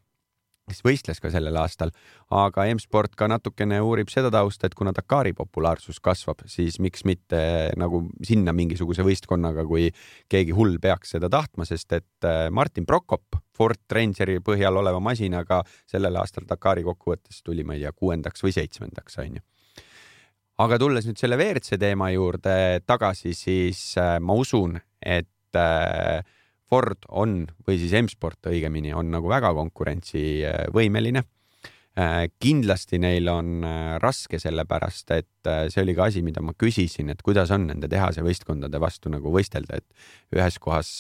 kes võistles ka sellel aastal, aga M-sport ka natukene uurib seda tausta, et kuna Dakari populaarsus kasvab, siis miks mitte nagu sinna mingisuguse võistkonnaga, kui keegi hull peaks seda tahtma, sest et Martin Prokop Ford Rangeri põhjal oleva masinaga sellel aastal Dakari kokkuvõttes tuli, ma ei tea, kuuendaks või seitsmendaks, on ju. Aga tulles nüüd selle V R C teema juurde tagasi, siis ma usun, et Ford on, või siis M-sport õigemini, on nagu väga konkurentsivõimeline. Kindlasti neil on raske sellepärast, et see oli ka asi, mida ma küsisin, et kuidas on nende tehase võistkondade vastu nagu võistelda, et ühes kohas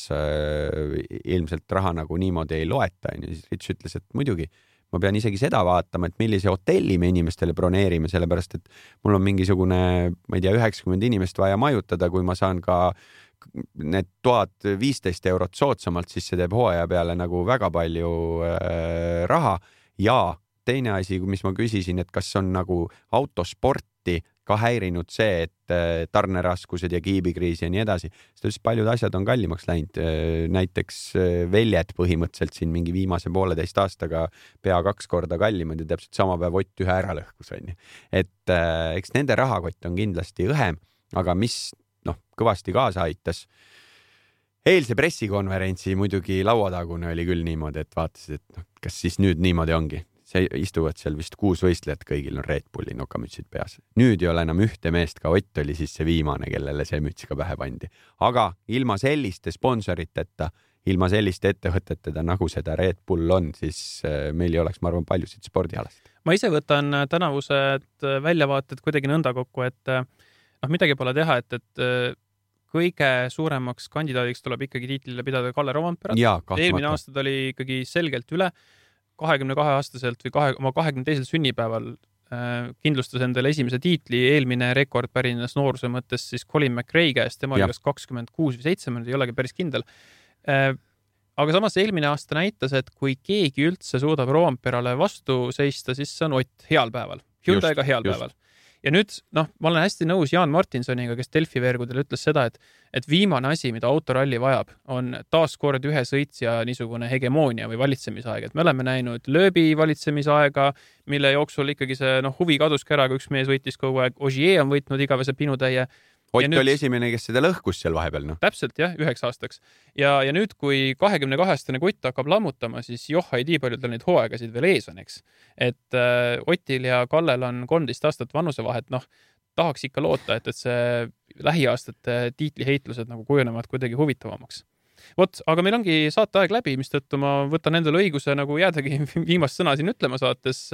ilmselt raha nagu niimoodi ei loeta. Rich ütles, et muidugi ma pean isegi seda vaatama, et millise hotelli me inimestele broneerime, sellepärast et mul on mingisugune, ma ei tea, üheksakümmend inimest vaja majutada, kui ma saan ka need tuhat viisteist eurot soodsamalt, siis see teeb hooaja peale nagu väga palju äh, raha ja teine asi, mis ma küsisin, et kas on nagu autosporti ka häirinud see, et tarneraskused ja kiibikriis ja nii edasi, sest paljud asjad on kallimaks läinud. Näiteks väljed põhimõtteliselt siin mingi viimase pooleteist aastaga pea kaks korda kallimad ja täpselt sama päev Ott ühe ära lõhkus. Et eks nende rahakott on kindlasti õhem, aga mis noh, kõvasti kaasa aitas. Eilse pressikonverentsi muidugi lauatagune oli küll niimoodi, et vaatasid, et noh, kas siis nüüd niimoodi ongi. See istuvad seal vist kuus võistlejat, kõigil on Red Bulli nokamütsid peas. Nüüd ei ole enam ühte meest, ka Ott oli siis see viimane, kellele see müts ka pähe pandi. Aga ilma selliste sponsoriteta, ilma selliste ettevõteteta, nagu seda Red Bull on, siis meil ei oleks, ma arvan, paljusid spordialast. Ma ise võtan tänavused väljavaated kuidagi nõnda kokku, et noh, midagi pole teha, et, et kõige suuremaks kandidaadiks tuleb ikkagi tiitlile pidada Kalle Roompere. Eelmine aasta oli ikkagi selgelt üle. kahekümne kahe aastaselt või kahe, oma kahekümne teisel sünnipäeval äh, kindlustas endale esimese tiitli. Eelmine rekord pärines nooruse mõttes siis Colin McRae käest, tema oli kas kakskümmend kuus või seitse, ei olegi päris kindel. Äh, aga samas eelmine aasta näitas, et kui keegi üldse suudab Roomperale vastu seista, siis see on Ott heal päeval. Hyundai'ga heal just. päeval. Ja nüüd, noh, ma olen hästi nõus Jaan Martinsoniga, kes Delfi veergudel ütles seda, et, et viimane asi, mida autoralli vajab, on taaskord ühe sõitsja niisugune hegemoonia või valitsemisaeg. Et me oleme näinud lööbi valitsemisaega, mille jooksul ikkagi see noh, huvi kaduski ära, kui üks mees võitis kogu aeg. Ogier on võitnud igavese pinutäie. Ott nüüd, oli esimene, kes seda lõhkus seal vahepeal. No. Täpselt, jah, üheks aastaks. Ja, ja nüüd, kui kahekümne kahestane kutt hakkab lammutama, siis joh, ei tii palju tal neid hooaegasid veel ees on, eks. Et äh, Otil ja Kallel on kolmteist aastat vanusevahet, noh, tahaks ikka loota, et, et see lähiaastate tiitliheitlused nagu kujunevad kuidagi huvitavamaks. Vot, aga meil ongi saateaeg läbi, mistõttu ma võtan endale õiguse nagu jäädagi viimast sõna siin ütlema saates.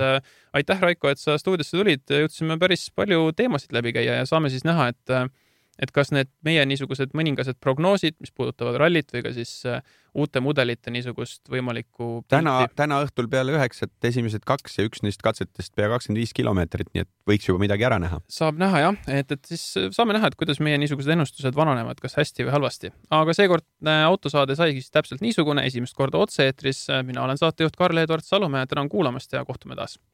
Aitäh, Raiko, et sa stuudiosse tulid. Jutsime päris palju teemasid läbi käia ja saame siis näha, et et kas need meie niisugused mõningased prognoosid, mis puudutavad rallit või ka siis uute mudelite niisugust võimalikku täna, täna õhtul peale üheksat esimesed kaks ja üks neist katsetest pea kakskümmend viis kilomeetrit, nii et võiks juba midagi ära näha. Saab näha, jah. Et, et siis saame näha, et kuidas meie niisugused ennustused vananevad, kas hästi või halvasti. Aga seekord autosaade saigi siis täpselt niisugune esimest korda otse-eetris. Mina olen saatejuht Karl-Edvard Salumäe, tänan kuulamast ja kohtume taas.